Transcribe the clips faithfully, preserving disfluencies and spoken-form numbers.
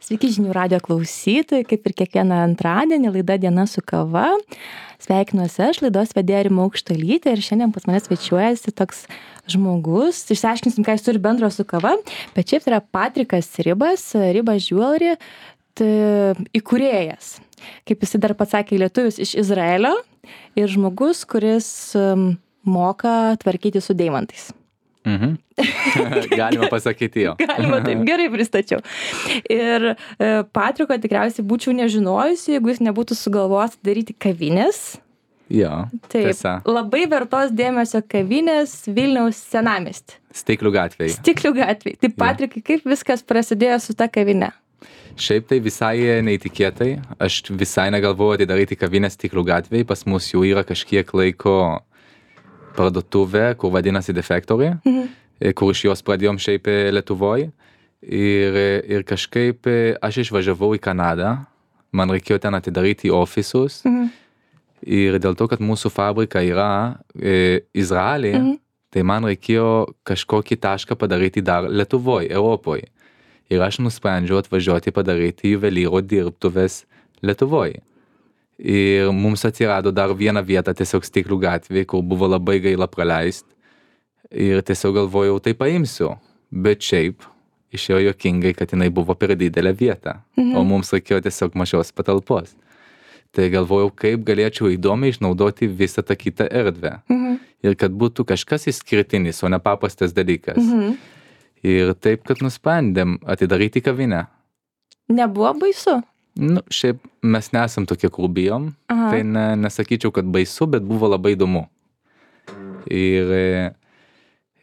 Sveiki žinių radijo klausytojai, kaip ir kiekvieną antradienį laida Diena su kava. Sveikinuosi aš, laidos vedėja Rima Aukštuolytė ir šiandien pas mane svečiuojasi toks žmogus. Išsiaiškinsim, ką jis turi bendro su kava, bet šiaip tai yra Patrikas Ribas, Ribas Jewelry, tai įkūrėjas. Kaip jis dar pats sakė, lietuvis iš Izraelio ir žmogus, kuris um, moka tvarkyti su deimantais. Mhm. Galima pasakyti jo. Galima, taip gerai pristačiau. Ir e, Patriko tikriausiai būčiau nežinojusi, jeigu jis nebūtų sugalvojęs daryti kavinės. Jo, Taip, tiesa. labai vertos dėmesio kavinės Vilniaus senamiesty. Stiklių gatvėje. Stiklių gatvėje. Tai Patrikai, kaip viskas prasidėjo su ta kavinė? Šiaip tai visai neįtikėtai. Aš visai negalvojau atidaryti kavinę Stiklių gatvėje. Pas mus jau yra kažkiek laiko parduotuvė, kur vadinasi The Factory, mhm. kur iš jos pradėjom šiaip Lietuvoj. Ir, ir kažkaip aš išvažiavau į Kanadą, man reikėjo ten atidaryti ofisus. Mhm. Ir dėl to, kad mūsų fabrika yra e, Izraelį, mhm. tai man reikėjo kažkokį tašką padaryti dar Lietuvoj, Europoj. Ir aš nusprendžiau atvažiuoti padaryti juvelyro dirbtuves Lietuvoj. Ir mums atsirado dar vieną vietą tiesiog Stiklių gatvėje, kur buvo labai gaila praleist. Ir tiesiog galvojau, tai paimsiu. Bet šiaip išėjo juokingai, kad jinai buvo per didelė vieta. Mhm. O mums reikėjo tiesiog mažos patalpos. Tai galvojau, kaip galėčiau įdomiai išnaudoti visą tą kitą erdvę. Mhm. Ir kad būtų kažkas išskirtinis, o ne paprastas dalykas. Mhm. Ir taip, kad nusprendėm atidaryti kavinę. Nebuvo baisu? Nu, šiaip mes nesam tokie, kur bijom. Aha. Tai ne, nesakyčiau, kad baisu, bet buvo labai įdomu. Ir,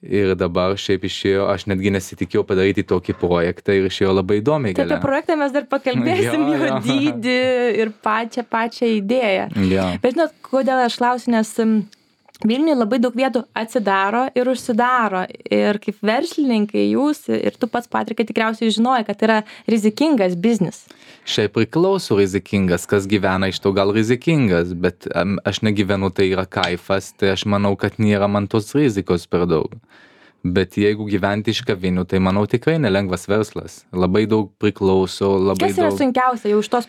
ir dabar šiaip išėjo, aš netgi nesitikėjau padaryti tokį projektą ir išėjo labai įdomiai. Tai apie projektą mes dar pakalbėsim, jo, jo dydį ir pačią, pačią idėją. Jo. Bet žinot, kodėl aš klausiu, nes Vilniuje labai daug vietų atsidaro ir užsidaro. Ir kaip verslininkai jūs ir tu pats, Patrikai, tikriausiai žinoji, kad yra rizikingas biznis. Šiaip priklauso rizikingas, kas gyvena iš to gal rizikingas, bet um, aš negyvenu, tai yra kaifas, tai aš manau, kad nėra man tos rizikos per daug. Bet jeigu gyventi iš kavinių, tai manau tikrai nelengvas verslas. Labai daug priklauso, labai daug... Kas yra daug... sunkiausia jau iš tos,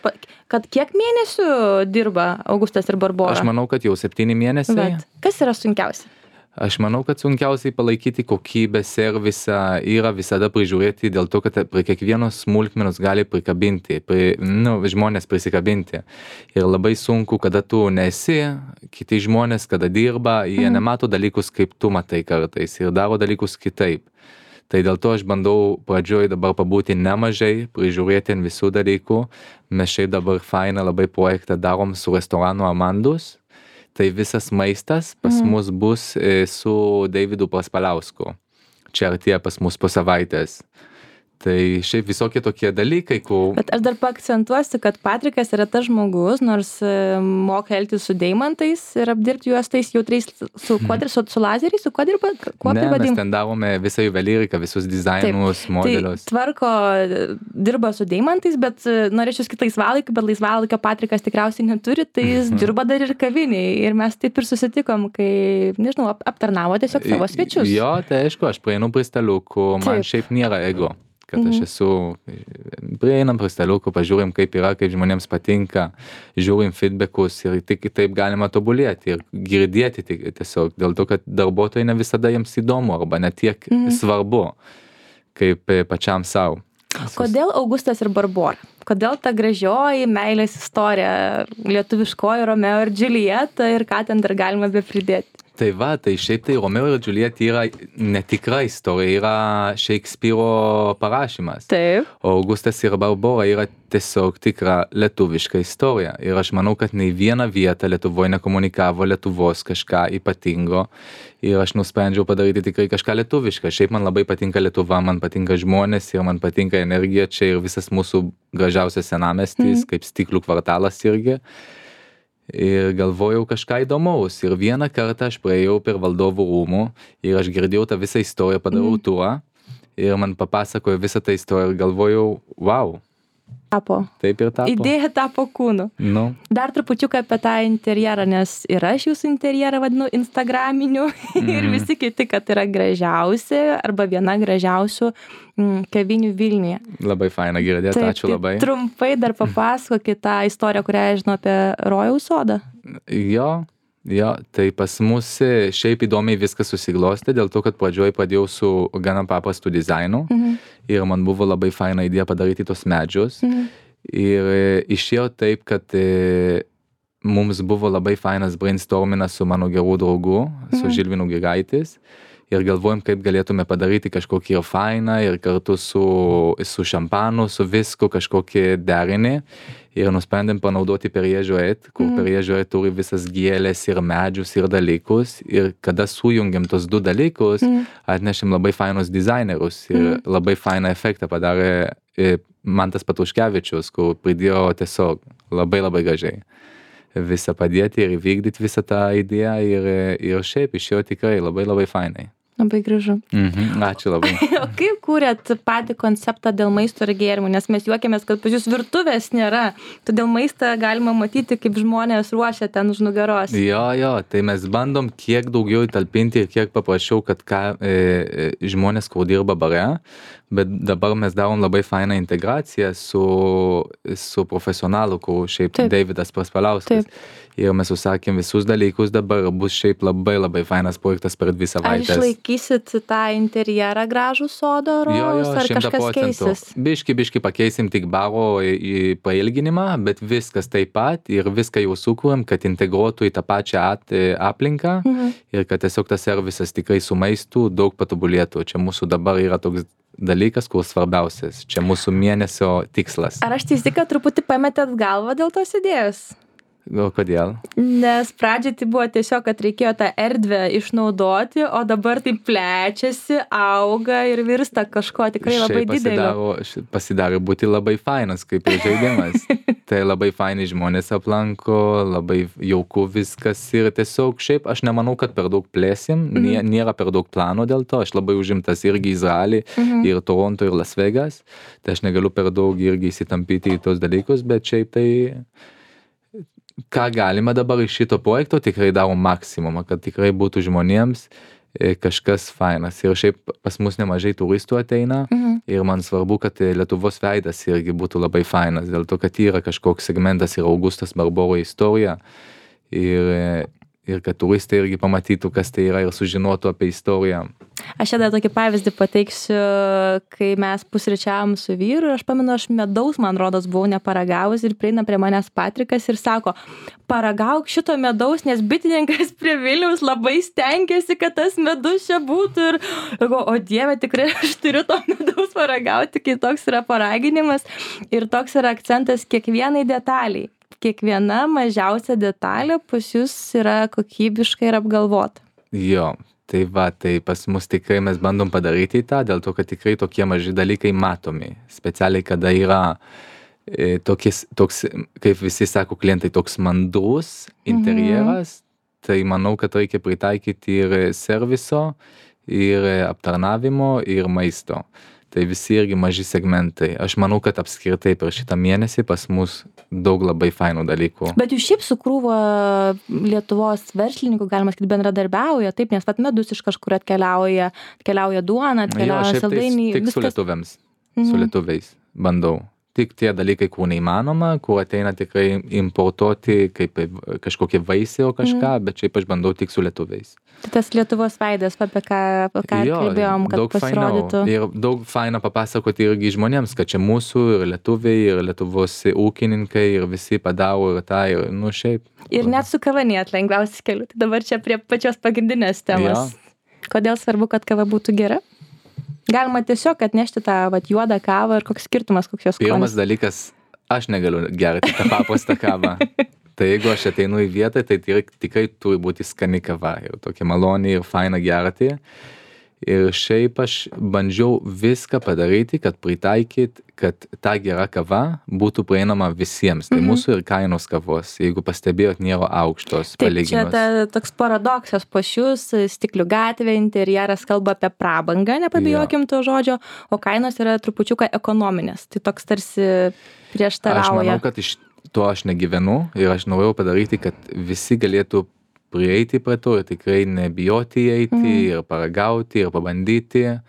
kad kiek mėnesių dirba Augustas ir Barbora? Aš manau, kad jau septyni mėnesiai. Bet kas yra sunkiausia? Aš manau, kad sunkiausiai palaikyti kokybę, servisą, yra visada prižiūrėti dėl to, kad prie kiekvienos smulkmenos gali prikabinti, prie, nu, žmonės prisikabinti. Ir labai sunku, kada tu nesi, kiti žmonės, kada dirba, jie mm. nemato dalykus, kaip tu matai kartais ir daro dalykus kitaip. Tai dėl to aš bandau pradžioj dabar pabūti nemažai, prižiūrėti ant visų dalykų. Mes šiaip dabar fainą labai projektą darom su restoranu Amandus. Tai visas maistas pas mm. mus bus e, su Deividu Praspaliausku. Čia artėja pas mus po savaitės. Tai šiaip visokie tokie dalykai, kur... Bet aš dar paakcentuosiu, kad Patrikas yra tas žmogus, nors e, moka elgtis su deimantais ir apdirbti juos tais jautriais su, quadri, su, su lazeriais, su kuo dirba? Kuo ne, mes ten darome visą juvelyriką, visus dizainus, Taip, modelius. Tai tvarko, dirba su deimantais, bet norėčiau skirti laisvalaikį, bet laisvalaikio Patrikas tikriausiai neturi, tai jis dirba dar ir kaviniai. Ir mes taip ir susitikom, kai, nežinau, ap, aptarnavo tiesiog savo svečius. Jo, tai aišku, aš praeinu prie staliukų, man Taip. Šiaip nėra ego. Kad aš esu, prieinam prie staliukų, pažiūrim, kaip yra, kaip žmonėms patinka, žiūrim feedbackus ir tik taip galima tobulėti ir girdėti tiesiog, dėl to, kad darbuotojai ne visada jiems įdomu arba ne tiek mm. svarbu, kaip pačiam savo. Kodėl Augustas ir Barbora? Kodėl ta gražioji meilės istorija, lietuviškoji Romeo ir Džiuljeta ir ką ten dar galima be pridėti? Tai va, tai šiaip tai Romeo ir Džiuljeta yra netikra istorija, yra Šekspyro parašymas. Taip. O Augustas ir Barbora yra tiesiog tikra lietuviška istorija. Ir aš manau, kad nei viena vieta Lietuvoje nekomunikavo Lietuvos kažką ypatingo. Ir aš nusprendžiau padaryti tikrai kažką lietuvišką. Šiaip man labai patinka Lietuva, man patinka žmonės ir man patinka energija čia ir visas mūsų gražiausias senamiestis, mm. kaip Stiklių kvartalas irgi. Ir galvojau kažką įdomaus. Ir vieną kartą aš praėjau per valdovų rūmų ir aš girdėjau tą visą istoriją, padarau mm. turą ir man papasakojo visą tą istoriją ir galvojau, wow, Tapo. Taip ir tapo. Idėja tapo kūnu. Nu. Dar trupučiuką apie tą interjerą, nes ir aš jūsų interjerą vadinu instagraminiu mm. ir visi kiti, kad yra gražiausi arba viena gražiausių mm, kavinių Vilniuje. Labai faina girdėti, ačiū labai. Trumpai dar papasakokit tą istoriją, kurią aš žinau apie Rojaus sodą. Jo, jo, tai pas mus šiaip įdomiai viskas susiglostė, dėl to, kad pradžioj pradėjau su gana paprastu dizainu mhm. ir man buvo labai faina idėja padaryti tos medžius. Mhm. Ir išėjo taip, kad e, mums buvo labai fainas brainstorminas su mano gerų draugų, su mhm. Žilvinu Giraitis. Ir galvojom, kaip galėtume padaryti kažkokį ir fainą ir kartu su, su šampanu, su visku kažkokį derinį. Ir nusprendėm panaudoti Periežo et, kur mm. Periežo et turi visas gėlės ir medžius ir dalykus. Ir kada sujungiam tos du dalykus, mm. atnešėm labai fainus dizainerius ir mm. labai fainą efektą padarė e, Mantas Patruškevičius, kur pridėjo tiesiog labai labai gražiai visą padėti ir įvykdyti visą tą idėją ir, ir šiaip išėjo tikrai labai labai fainai. Labai gražu. Mhm, ačiū labai. O kaip kūrėt patį konceptą dėl maisto ir gėrimų? Nes mes juokiamės, kad pas jūs virtuvės nėra. Todėl maistą galima matyti, kaip žmonės ruošia ten už nugaros. Jo, jo, tai mes bandom kiek daugiau įtalpinti ir kiek paprašiau, kad ką, e, žmonės, kur dirba bare, bet dabar mes darom labai fainą integraciją su, su profesionalu, kur šiaip Taip. Davidas Praspaliauskas. Taip. Ir mes užsakėm visus dalykus, dabar bus šiaip labai labai fainas projektas per dvi savaitės. Ar išlaikysit tą interjerą gražų sodo Rojaus, ar kažkas keisis? Biški, biški pakeisim tik baro į pailginimą, bet viskas taip pat ir viską jau sukūrėm, kad integruotų į tą pačią at, aplinką mhm. ir kad tiesiog tas servisas tikrai su maistu daug patobulėtų. Čia mūsų dabar yra toks dalykas, kur svarbiausias. Čia mūsų mėnesio tikslas. Ar aš teisi, kad truputį pametėt galvą dėl tos idėjos? O kodėl? Nes pradžiai tai buvo tiesiog, kad reikėjo tą erdvę išnaudoti, o dabar tai plečiasi, auga ir virsta kažko tikrai labai didelio. Pasidaro būti labai fainas, kaip ir žaidimas. Tai labai faini žmonės aplanko, labai jauku viskas ir tiesiog šiaip aš nemanau, kad per daug plėsim, mhm. nėra per daug plano dėl to, aš labai užimtas irgi Izraelį, mhm. ir Toronto, ir Las Vegas, tai aš negaliu per daug irgi įsitampyti į tos dalykus, bet šiaip tai ką galima dabar iš šito projekto, tikrai darom maksimumą, kad tikrai būtų žmonėms kažkas fainas. Ir šiaip pas mus nemažai turistų ateina mhm. ir man svarbu, kad Lietuvos veidas irgi būtų labai fainas, dėl to, kad yra kažkoks segmentas ir Augustas Barboro istorija ir, ir kad turistai irgi pamatytų, kas tai yra ir sužinotų apie istoriją. Aš čia dar tokį pavyzdį pateiksiu, kai mes pusryčiavom su vyru ir aš pamenu, aš medaus, man rodos, buvau neparagavus ir prieina prie manęs Patrikas ir sako, paragauk šito medaus, nes bitininkas prie Vilniaus labai stengiasi, kad tas medus čia būtų ir, ir go, o Dieve, tikrai aš turiu to medaus paragauti, kai toks yra paraginimas ir toks yra akcentas kiekvienai detaliai. Kiekviena mažiausia detalė pas jūs yra kokybiškai ir apgalvota. Jo. Tai va, tai pas mus tikrai mes bandom padaryti tą, dėl to, kad tikrai tokie maži dalykai matomi. Specialiai, kada yra e, tokis, toks, kaip visi sako klientai, toks mandrus interjeras, mhm. tai manau, kad reikia pritaikyti ir serviso, ir aptarnavimo, ir maisto. Tai visi irgi maži segmentai. Aš manau, kad apskritai per šitą mėnesį pas mus daug labai fainų dalykų. Bet jūs šiaip su krūva Lietuvos verslininkų, galima sakyti, bendradarbiauja, taip, nes vat medus iš kažkur atkeliauja, atkeliauja duona, atkeliauja saldainiai. Tik viskas... su lietuviams, mhm. su lietuviais bandau. Tik tie dalykai, kur neįmanoma, kur ateina tikrai importuoti kaip kažkokie vaisiai o kažką, mm. bet šiaip aš bandau tik su lietuviais. Tai tas Lietuvos veidas, apie ką, apie ką jo, kalbėjom, kad pasirodytų. Ir daug faina papasakoti irgi žmonėms, kad čia mūsų ir lietuviai, ir Lietuvos ūkininkai, ir visi padaro ir tą, ir nu šiaip. Ir net su kava net lengviausias keliu. Tai dabar čia prie pačios pagrindinės temos. Jo. Kodėl svarbu, kad kava būtų gera? Galima tiesiog atnešti tą vat, juodą kavą ir koks skirtumas, koks jos skonis. Pirmas dalykas, aš negaliu gerti tą paprastą kavą. Tai jeigu aš ateinu į vietą, tai tikrai turi būti skani kava ir tokia maloni ir faina gerti. Ir šiaip aš bandžiau viską padaryti, kad pritaikyt, kad ta gera kava būtų prieinama visiems. Tai Mhm. mūsų ir kainos kavos, jeigu pastebėjot, nėra aukštos Taip, čia palyginus. ta, toks paradoksas pas jūs, Stiklių gatvė, interjeras kalba apie prabangą, nepabijokim to žodžio, o kainos yra trupučiuką ekonominės. Tai toks tarsi prieštarauja. Aš manau, kad iš to aš negyvenu ir aš norėjau padaryti, kad visi galėtų prieiti prie to ir tikrai nebijoti eiti Mhm. ir paragauti ir pabandyti.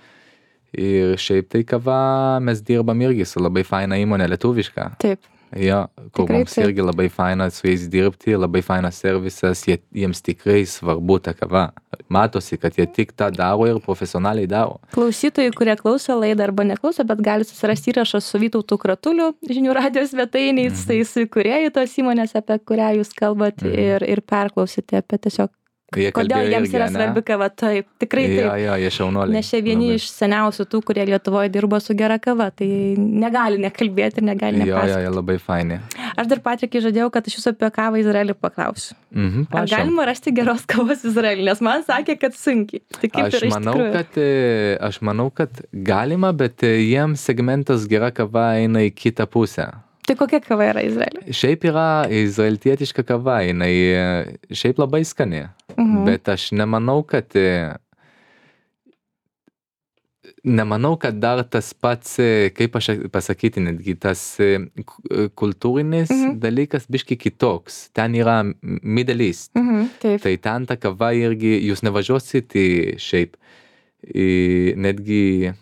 Ir šiaip tai kava mes dirbam irgi su labai faina įmonė lietuviška. Taip. Jo, kur Tikrai mums taip. irgi labai faina su jais dirbti, labai fainas servisas, jie, jiems tikrai svarbu ta kava. Matosi, kad jie tik tą daro ir profesionaliai daro. Klausytojai, kurie klauso laidą arba neklauso, bet gali susirasti įrašą su Vytautu Kratuliu, žinių radijos svetainiais, Mhm. tai su įkūrėjai tos įmonės, apie kurią jūs kalbat Mhm. ir, ir perklausyti apie tiesiog, Jie kodėl kalbėjo jiems irgi, yra ane? svarbi kava. Taip, tikrai taip. Jo, jo, jie šaunuoliai. Nes čia vieni Labai. iš seniausių tų, kurie Lietuvoje dirba su gera kava, tai negali nekalbėti ir negali Jo, jo, nepasakoti. jie labai faini. Aš dar, Patrikai, žadėjau, kad aš jūsų apie kavą Izraelį paklausiu. Mhm, Ar prašom. galima rasti geros kavos Izraelį? Nes man sakė, kad sunkiai. Tai kaip Aš yra iš manau, tikrųjų? kad, e, aš manau, kad galima, bet e, jiems segmentas gera kava eina į kitą pusę. Tai kokia kava yra Izraelį? Šiaip yra izraeltietiška kava, jinai e, šiaip labai skani, Mhm. bet aš nemanau, kad e, nemanau, kad dar tas pats, e, kaip aš pasakyti, netgi tas e, ku- e, kultūrinis Mhm. dalykas biški kitoks. Ten yra Middle East. Mhm, taip. Tai ten ta kava irgi, jūs nevažiuosit į šiaip, į, netgi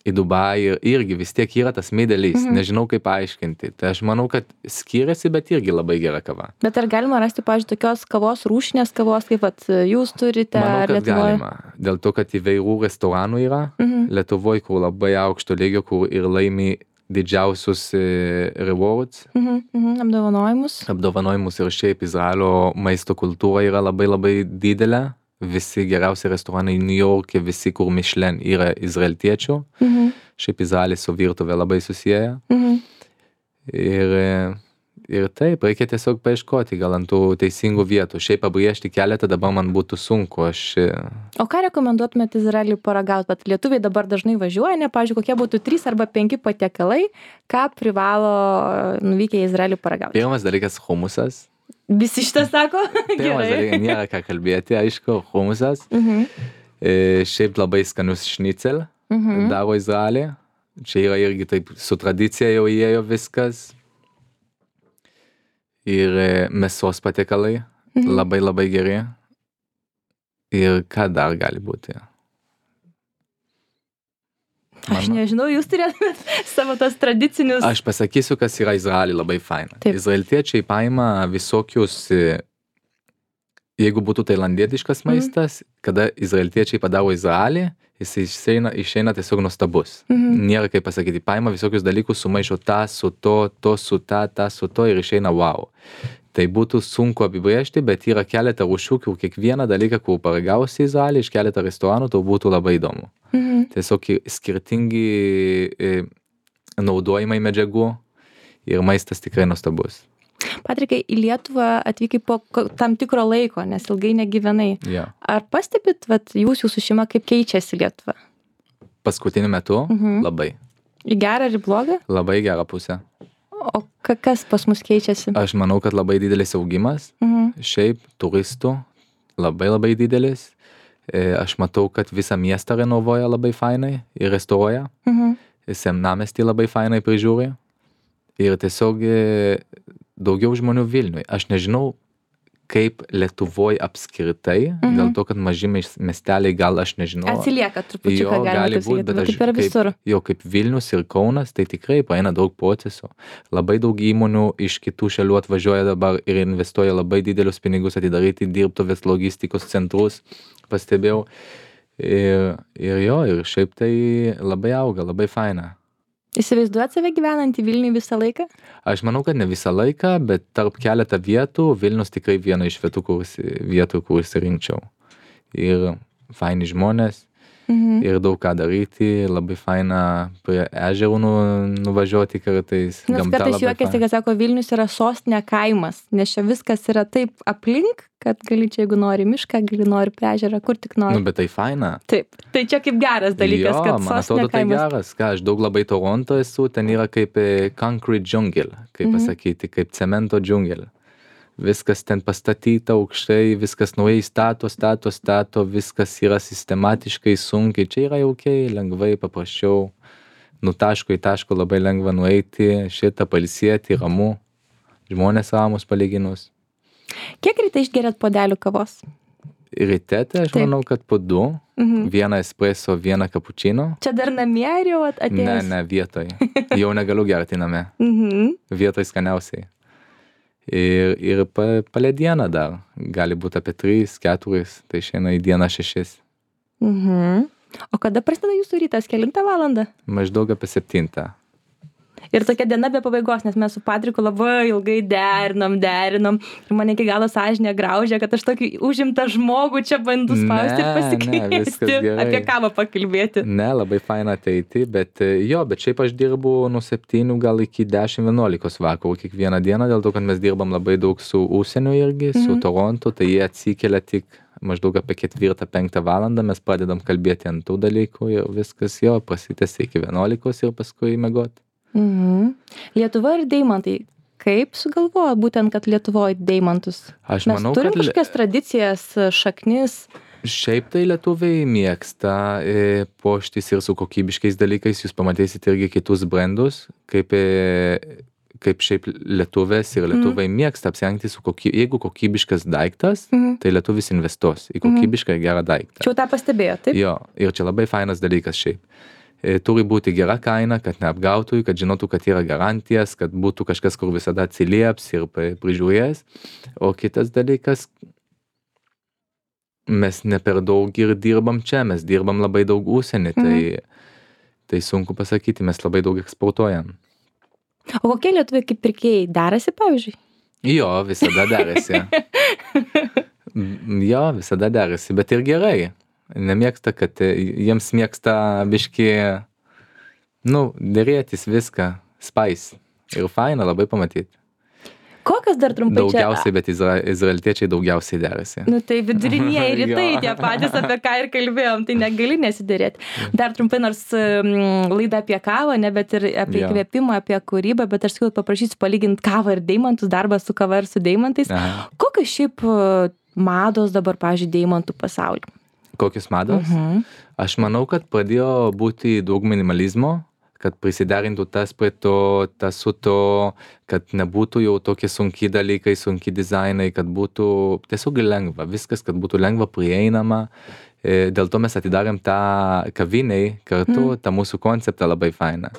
į Dubajų, irgi vis tiek yra tas Middle East, Mhm. nežinau kaip paaiškinti. Tai aš manau, kad skiriasi, bet irgi labai gera kava. Bet ar galima rasti, pavyzdžiui, tokios kavos, rūšinės kavos, kaip vat, jūs turite Manau, ar kad Lietuvoje? galima. Dėl to, kad įvairių restoranų yra. Mhm. Lietuvoje, kur labai aukšto lygio, kur ir laimi didžiausius e, rewards, Mhm, mhm, apdovanojimus. apdovanojimus ir šiaip Izraelio maisto kultūra yra labai labai didelė. Visi geriausi restoranai New York'e, visi kur Michelin yra izraeltiečių. Mhm, Šiaip Izraelis su virtuvė labai susiję. mhm. Ir, e, ir taip, reikia tiesiog paieškoti gal ant tų teisingų vietų. Šiaip pabrėžti keletą dabar man būtų sunku. Aš, e, O ką rekomenduotumėt Izraelį paragauti? Bet lietuviai dabar dažnai važiuoja, ne, pavyzdžiui, kokie būtų trys arba penki patiekalai, ką privalo nuvykę į Izraelį paragauti? pirmas dalykas humusas. Visi šitą sako? Pirmas dalykas, nėra ką kalbėti, aišku, humusas. Mhm, E, šiaip labai skanius šnicel mhm. daro Izraelį. Čia yra irgi taip su tradicija jau įėjo viskas. Ir e, mėsos patiekalai Mhm. labai labai geri. Ir ką dar gali būti? Aš Mano- nežinau, jūs turėtumėt savo tos tradicinius. Aš pasakysiu, kas yra Izraelį labai faina. Taip. Izraeltiečiai paima visokius, e, jeigu būtų tailandietiškas Mhm. maistas, kada izraeltiečiai padaro Izraelį, jis išeina, išeina tiesiog nuostabus. Mhm. Nėra kaip pasakyti, paima visokius dalykus, sumaišo tą su to, to su tą, tą su to ir išeina wow. Tai būtų sunku apibrėžti, bet yra keletą rūšių, kur kiekvieną dalyką, kur paragausi Izraelį iš keletą restoranų, tau būtų labai įdomu. Mhm. Tiesiog i- skirtingi e, naudojimai medžiagų ir maistas tikrai nuostabus. Patrikai, į Lietuvą atvykai po ko- tam tikro laiko, nes ilgai negyvenai. Ja. Ar pastebit, vat, jūs, jūsų šeima, kaip keičiasi Lietuva? Paskutiniu metu Mhm. labai, Į gerą ir į blogą? labai gerą pusę. O ka- kas pas mus keičiasi? Aš manau, kad labai didelis augimas, Mhm. šiaip turistų, labai labai didelis. E, Aš matau, kad visą miestą renovuoja labai fainai ir restauruoja. Mhm. Senamiestį labai fainai prižiūri. Ir tiesiog e, daugiau žmonių Vilniui. Aš nežinau, kaip Lietuvoje apskritai, Mhm. dėl to, kad maži mes- miesteliai gal aš nežinau. Atsilieka trupučiuką, Jo, galima gali taip būt, sakyti, bet bet aš taip yra visur. kaip, jo, kaip Vilnius ir Kaunas, tai tikrai praeina daug procesų. Labai daug įmonių iš kitų šalių atvažiuoja dabar ir investuoja labai didelius pinigus atidaryti dirbtuvės logistikos centrus, pastebėjau. Ir, ir jo, ir šiaip tai labai auga, labai faina. Įsivaizduojat save gyvenantį Vilniui visą laiką? Aš manau, kad ne visą laiką, bet tarp keletą vietų Vilnius tikrai viena iš vietų, kur, vietų, kur įsirinkčiau. Ir faini žmonės, Mhm. ir daug ką daryti, labai faina prie ežerų nu, nuvažiuoti kartais. Nes Gamta kartais labai juokiasi, faina. kad sako, Vilnius yra sostinė kaimas, nes čia viskas yra taip aplink, kad gali čia, jeigu nori mišką, gali nori prie ežerą, kur tik nori. Nu, bet tai faina. Taip, tai čia kaip geras dalykas, jo, kad man sostinė atrodo, tai kaimas. geras. Ką, aš daug labai Toronto esu, ten yra kaip e, concrete jungle, kaip Mhm. pasakyti, kaip cemento džiungelė. Viskas ten pastatyta aukštai, viskas naujai stato, stato, stato, viskas yra sistematiškai, sunkiai. Čia yra jaukiai, lengvai, paprasčiau. Nu taško į taško labai lengva nueiti, šitą pailsėti, ramu. Žmonės ramus palyginus. Kiek ryte išgeriat puodelių kavos? Ryte, tai aš Taip. manau, kad po du. Mhm. Vieną espresso, vieną cappuccino. Čia dar namie ar jau at- Ne, atėjęs? ne, vietoj. Jau negaliu gerti name. Mhm. Vietoj skaniausiai. Ir, ir pa, palė dieną dar. Gali būti apie trys, keturis, tai šiandien į dieną šešis. Mhm. O kada prasideda jūsų rytas, kelintą valandą? Maždaug apie septintą. Ir tokia diena be pabaigos, nes mes su Patriku labai ilgai derinom, derinom. Ir mane iki galo sąžinė graužė, kad aš tokį užimtą žmogų čia bandu spausti ir Ne, ne, pasikviesti. viskas gerai. Apie kavą pakalbėti. Ne, labai faina ateiti, bet e, jo, bet šiaip aš dirbu nuo septynių gal iki dešimt vienuolikos vakarų kiekvieną dieną, dėl to, kad mes dirbam labai daug su užsieniu irgi, su Mhm. Toronto, tai jie atsikelia tik maždaug apie ketvirtą, penktą valandą, mes pradedam kalbėti ant tų dalykų ir viskas jo prasitęsia iki vienuolikos ir paskui miegot. Mhm. Lietuva ir deimantai. Kaip sugalvojo būtent, kad Lietuvoje deimantus? Aš Mes manau, turim kad le- kažkokias tradicijas, šaknis. Šiaip tai lietuviai mėgsta e, puoštis ir su kokybiškais dalykais, jūs pamatysite irgi kitus brandus, kaip, e, kaip šiaip lietuvės ir lietuvai mėgsta apsirengti su koky, jeigu kokybiškas daiktas, Mhm. tai lietuvis investuos į kokybišką ir gerą daiktą. Čia jau tą pastebėjo, taip? Jo, ir čia labai fainas dalykas šiaip. E, Turi būti gera kaina, kad neapgautų, kad žinotų, kad yra garantijas, kad būtų kažkas, kur visada atsilieps ir pa- prižiūrės. O kitas dalykas, mes ne per daug ir dirbam čia, mes dirbam labai daug užsienį, tai, tai sunku pasakyti, mes labai daug eksportuojam. O kokie lietuviai kaip pirkėjai derasi, pavyzdžiui? Jo, visada derasi. M, Jo, visada derasi, bet ir gerai. Nemėgsta, kad e, jiems mėgsta biški, nu, dėrėtis viską, spice. Ir faina labai pamatyti. Kokios dar trumpai čia? Daugiausiai, bet izra, izraeltiečiai daugiausiai derasi. Nu tai vidurinieji rytai, Jo. tie patys, apie ką ir kalbėjom, tai negali nesiderėti. Dar trumpai, nors mm, laida apie kavą, ne, bet ir apie Jo. įkvėpimą, apie kūrybą, bet aš sakau, paprašysiu palyginti kavą ir deimantus, darbą su kava ir su deimantais. Aha. Kokios šiaip e, mados dabar, pavyzdžiui, deimantų pasaulyje? Kokios mados? Mhm. Aš manau, kad pradėjo būti daug minimalizmo, kad prisiderintų tas prie to, tas su to, kad nebūtų jau tokie sunki dalykai, sunki dizainai, kad būtų tiesiog lengva, viskas, kad būtų lengva prieinama. E, Dėl to mes atidarėm tą kaviniai kartu, tą mūsų konceptą labai fainą.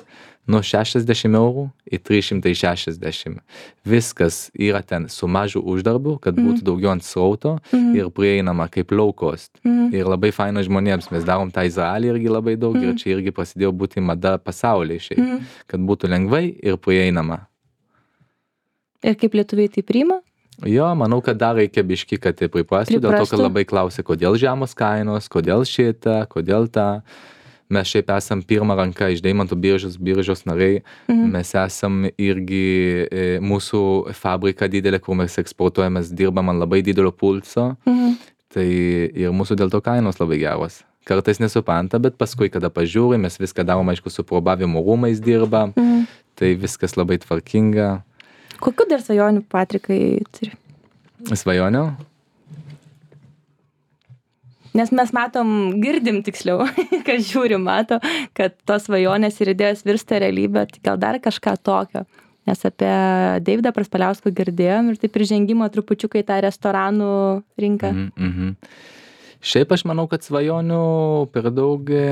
Nuo šešiasdešimt eurų į trys šimtai šešiasdešimt. Viskas yra ten su mažu uždarbu, kad būtų daugiau ant srauto ir prieinama kaip low cost. Ir labai faina žmonėms. Mes darom tą Izraelį irgi labai daug ir čia irgi prasidėjo būti mada pasaulyje šiaip. Kad būtų lengvai ir prieinama. Ir kaip lietuviai tai priima? Jo, manau, kad dar reikia biški, kad tai priprastų, dėl to, Priprastų. kad labai klausia, kodėl žemos kainos, kodėl šitą, kodėl tą. Mes šiaip esam pirmą ranką iš Deimantų biržos, biržos nariai. Mes esam irgi e, mūsų fabrika didelė, kur mes eksportuojame, mes dirbam ant labai didelio pulso. Mhm. Tai ir mūsų dėl to kainos labai geros. Kartais nesupranta, bet paskui, kada pažiūrim, mes viską darom, aišku, su probavimo rūmais dirba. Mhm. Tai viskas labai tvarkinga. Kokių dar svajonių Patrikai turi? Svajonių? Nes mes matom, girdim tiksliau, kas žiūri, mato, kad tos svajonės ir idėjos virsta realybė, tai gal dar kažką tokio. Nes apie Deividą Praspaliauską girdėjom ir taip ir žengimo trupučiukai tą restoranų rinką. Mhm, mhm. Šiaip aš manau, kad svajonių per daug e,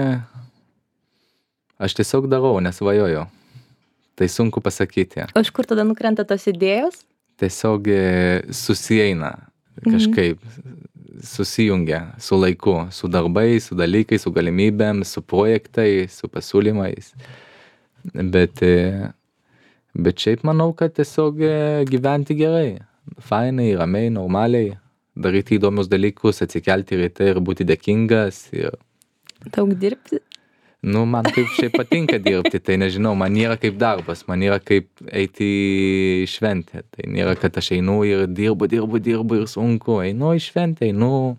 aš tiesiog darau, nesvajoju. Tai sunku pasakyti. O iš kur tada nukrenta tos idėjos? Tiesiog e, susieina kažkaip, susijungia su laiku, su darbais, su dalykais, su galimybėm, su projektais, su pasiūlymais. Bet, e, bet šiaip manau, kad tiesiog e, gyventi gerai, fainai, ramiai, normaliai, daryti įdomius dalykus, atsikelti ryte ir būti dėkingas ir Daug dirbti? Nu, man kaip šiaip patinka dirbti, tai nežinau, man nėra kaip darbas, man nėra kaip eiti į šventę. Tai nėra, kad aš einu ir dirbu, dirbu, dirbu ir sunku. Einu į šventę, einu,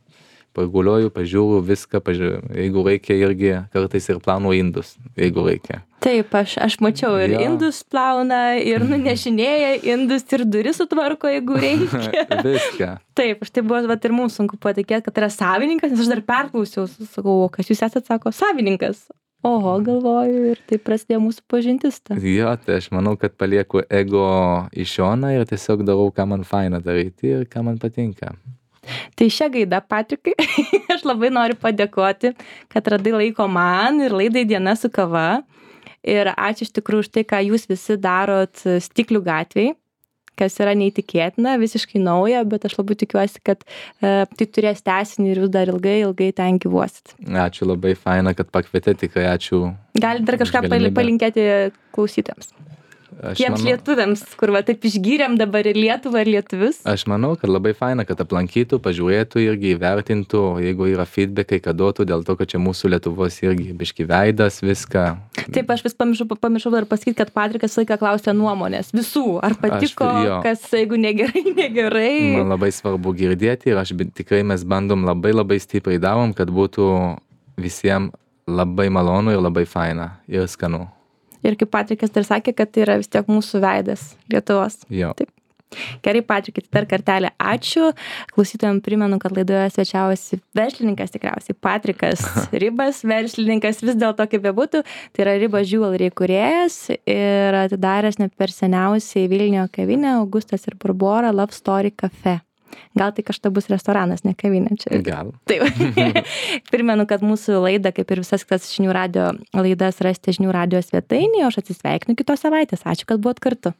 paguliuoju, pažiūriu viską, pažiūriu. Jeigu reikia irgi kartais ir plaunu indus, jeigu reikia. Taip, aš, aš mačiau ir Jo. indus plauna, ir nunešinėja indus, ir duris sutvarko, jeigu reikia. Viską. Taip, aš tai buvo, vat, ir mums sunku patikėti, kad yra savininkas, nes aš dar perklausiau, sakau, o kas jūs esate, sako, savininkas. Oho, galvoju, ir tai prasidėjo mūsų pažintis. Ta. Jo, tai aš manau, kad palieku ego į šoną ir tiesiog darau, ką man faina daryti ir ką man patinka. Tai šią gaidą, Patrikai, aš labai noriu padėkoti, kad radai laiko man ir laidai Diena su kava. Ir ačiū iš tikrųjų už tai, ką jūs visi darot Stiklių gatvėj, kas yra neįtikėtina, visiškai nauja, bet aš labai tikiuosi, kad e, tai turės tęsinį ir jūs dar ilgai, ilgai ten gyvuosit. Ačiū labai faina, kad pakvietėte, tikrai ačiū. Galit dar kažką už galimybę. palinkėti klausytojams. Aš Tiems manau- lietuviams, kur va taip išgyrėm dabar ir Lietuvą, ir lietuvius. Aš manau, kad labai faina, kad aplankytų, pažiūrėtų irgi įvertintų, jeigu yra feedbackai, kad duotų, dėl to, kad čia mūsų Lietuvos irgi biški veidas, viską. Taip, aš vis pamiršau, pamiršau dar pasakyti, kad Patrikas laiką klausė nuomonės visų, ar patiko, Aš- jo. kas, jeigu negerai, negerai. Man labai svarbu girdėti ir aš bi- tikrai mes bandom labai labai stipriai darom, kad būtų visiems labai malonu ir labai faina ir skanu. Ir kaip Patrikas dar sakė, kad tai yra vis tiek mūsų veidas Lietuvos. Jo. Taip. Gerai, Patrikai, tai dar kartelį ačiū. Klausytojams primenu, kad laidoje svečiavosi verslininkas tikriausiai Patrikas Ribas, verslininkas vis dėlto kaip bebūtų, tai yra Ribas Jewelry kūrėjas ir atidaręs ne per seniausiai Vilniuje kavinę Augustas ir Barbora Love Story Cafe. Gal tai kažta bus restoranas, ne kavinė čia. Gal. Taip. Primenu, kad mūsų laidą, kaip ir visas kitas žinių radio laidas, rasite žinių radio svetainėje, o aš atsisveikinu kitos savaitės. Ačiū, kad buvot kartu.